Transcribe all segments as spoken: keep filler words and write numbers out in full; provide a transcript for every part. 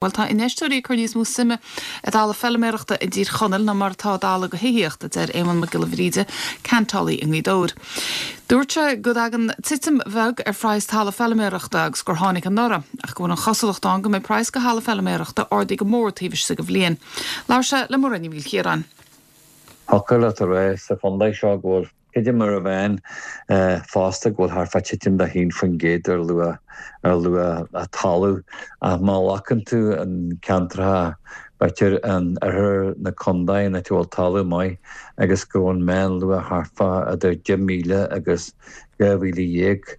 Bhuel tá infheisteoirí ag cur níos mó suime i dtalamh feilméarachta i dTír Chonaill ná mar atá i dtalamh do thithíocht, a deir Éamonn Mac Giolla Bhríde, ceantálaí i nGaoth Dobhair. Dúirt sé go dtagann titim bheag ar phraghas talamh feilméarachta agus gur tháinig anuraidh, ach go bhfuil an chosúlacht ann go mbeidh praghas go thalamh feilméarachta ardaithe go mór taobh istigh de bhliain. Labhair sé le Muireann Ní Mhaoilchiaráin. Thiocfadh leat a rá sa chontae seo go bhfuil creidim mar a bhean fosta go bhfuil thart fá titim de haon faoin gcéad ar luach ar luach talamh ach má ghlacann tú an ceantracha b'fhéidir an oirthear na contae ina bhfuil talamh maith agus go bhfuil an meánluach thart fá idir deich míle agus dhá mhíle dhéag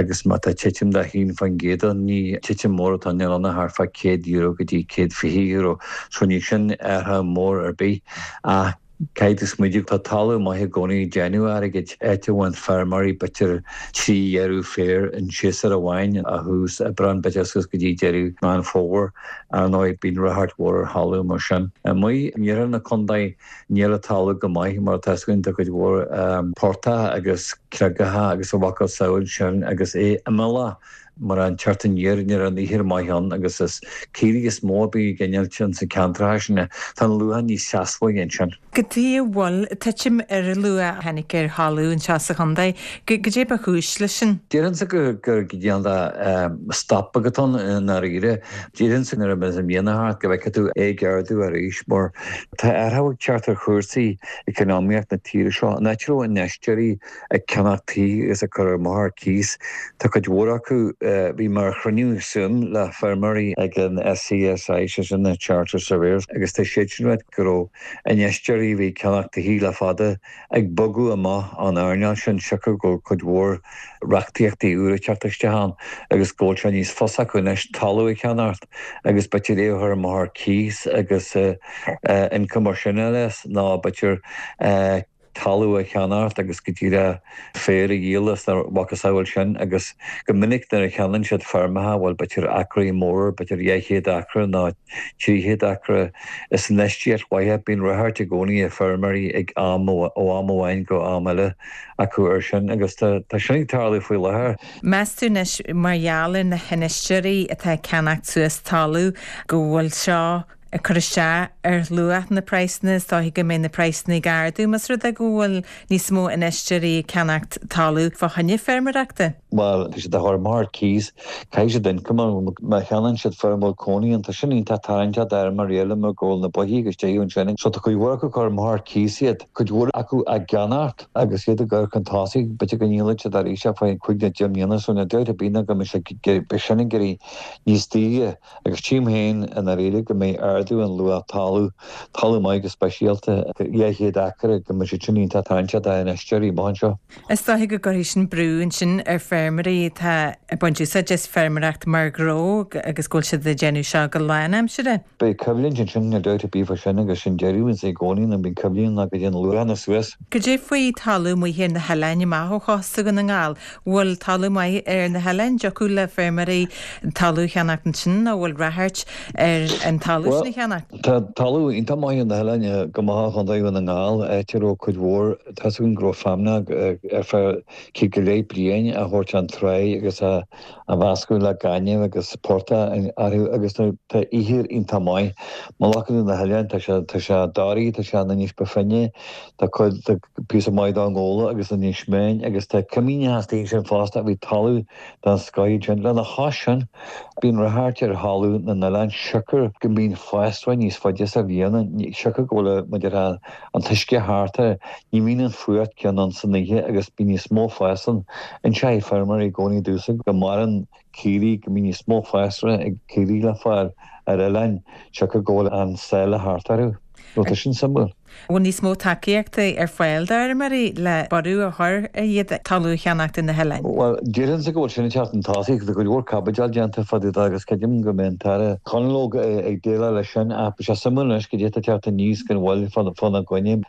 agus má tá titim de haon faoin gcéad ann ní titim mór atá ann ann thart fá céad euro go dtí céad fiche euro so ní sin athrú mór ar bith ach caithfidh tú smaoineamh tá talamh maith i gcónaí ag déanamh airgid áit a bhfuil feirmeoirí b'fhéidir trí dheireadh féir in séasúr amháin ó thús Aibreán b'fhéidir suas go dtí deireadh Meán Fómhair ar ndóigh bíonn ráchairt mhór ar thalamh mar sin. Amuigh in iarthar na contae níl an talamh go maith mar atá againn tá cuid mhór portach agus creagacha agus a mhacasamhail sin agus é imeallach mar an teacht aniar ní raibh an ithir maith ann agus is caoirigh is mó a bhí ag innilt ins na ceantracha sin. Tá an luach níos seasmhaí ansin. Cad chuige a bhfuil titim ar an luach a tháinig ar thalamh anseo sa chontae. Goidé ba chúis leis sin. Déarfainnse gur gur cineál de stop agat ann i ndáiríre. Déarfainnse nuair a bheas an mbliana thart go bhfeicfidh tú é ag ardú arís mar tá athrú ag teacht ar chúrsaí eacnamaíocht na tíre seo. An áit a raibh infheisteoirí ag ceannach tithe agus ag cur amach ar cíos, tá cuid mhór acu bhí mé ar chruinniú Zoom le feirmeoirí ag an SCSI sé sin na Chartered Surveyors agus tá siad sin ag rá go raibh infheisteoirí a bhí ag ceannach tithe le fada ag bogadh amach ón earnáil sin siocair go bhfuil cuid mhór reachtaíochtaí úra ag teacht isteach ann agus go bhfuil sé níos fusa acu anois talamh a cheannacht agus b'fhéidir é a chur amach ar cíos agus income mar sin eile ná b'fhéidir talamh a cheannacht agus go díreach féar a dhíol is na macasamhail sin agus go minic nuair a cheannaíonn siad feirmeacha bhfuil b'fhéidir acraí mór b'fhéidir dhá chéad acra nó trí chéad acra is infheistíocht mhaith bíonn ráchairt i gcónaí ag feirmeoirí ag am ó am amháin go am eile acu ar sin agus tá tá sin ag tarlú faoi láthair. Meas tú anois mar gheall ar na hinfheisteoirí atá ag ceannacht suas talamh go bhfuil seo ag cur isteach ar luach na praghsanna is dóiche go mbeidh na praghsanna ag ardú más rud é go bhfuil níos mó infheisteoirí ag ceannacht talamh fá choinne feirmeoireachta. Bhuel tá siad á chur amach ar cíos caithfidh siad income má cheannaíonn siad feirm a bhfuil cónaí ann tá sin iontach tarraingteach d'fheirmeoirí eile mar go bhfuil na boithigh agus tithe ansin so tá cuid mhór acu ag cur amach ar cíos iad cuid mhór acu á gceannacht agus iad ag cur chun tosaigh b'fhéidir go ndíolfaidh siad arís ar feadh cúig nó deich mbliana so níl dabht ar bith ná go mbeidh sé beidh sin ag éirí níos daoire agus tchím féin i ndáiríre go mbeidh ardú an luach talamh talamh maith go speisialta dhá chéad acra go mbeidh siad sin iontach tarraingteach d'infheisteoirí amach anseo. Is dóiche go gcuirfidh sin brú ansin ar feirmeoirí atá ag baint úsáid as feirmeoireacht mar ghnó agus go bhfuil siad ag déanamh seo go lánaimseartha. Beidh coimhlint ansin níl dabht ar bith fá sin agus sin deireadh ins i gcónaí nuair a bhíonn coimhlint ná go dtéann luachanna suas. Cad é faoi talamh amuigh ar na hoileáin amach ó chósta Dhún na nGall? Bhfuil talamh maith ar na hoileáin? Dtiocfadh le feirmeoirí talamh a cheannacht ansin nó bhfuil ráchairt ar an talamh sin a cheannacht? Tá talamh iontach maith ar na hoileáin go maith ó Chontae Dhún na nGall, áit a raibh cuid mhór, tá 's againn go raibh feamainn ar feadh céad go leith bliain á thabhairt chun tráigh agus á mheascadh le gaineamh agus portach orthu agus tá ithir iontach maith. Má ghlacann tú na hoileáin tá sé tá sé Doraí, tá sé in Inis Bó Finne, tá cuid tá píosa maith d'Abhainn Ghabhla agus in Inis Meáin agus tá coimíneacha istigh ansin fosta a bhí talamh den scoth ansin. Lena chois sin, bíonn ráchairt ar thalamh na n-oileán siocair go mbíonn fásra níos faide sa bhliain, siocair go bhfuil maidir an t-uisce thart air, ní bhíonn an fuacht céanna ann san oíche agus bíonn níos mó fás ann. Inseoidh feirmeoirí i gcónaí domhsa go maireann caoirigh, go mbíonn níos mó fásra ag caoirigh le fáil ar oileáin siocair go bhfuil an sáile thart orthu. Nó tá sin suimiúil. Bhfuil níos mó tacaíochta ar fáil d'fheirmeoirí le borradh a chur ar iad talamh a cheannacht ar na hoileáin? Bhuel, déarfainnse go bhfuil sin ag teacht chun tosaigh. Tá go leor caibidil déanta fá dtaobh de agus creidim go mbeidh an tAire Conalogue ag déileáil leis sin ach beidh sé suimiúil anois cad é atá ag teacht aníos gan mhoill fána gcoinne.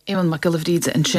Éamonn Mac Giolla Bhríde ansin.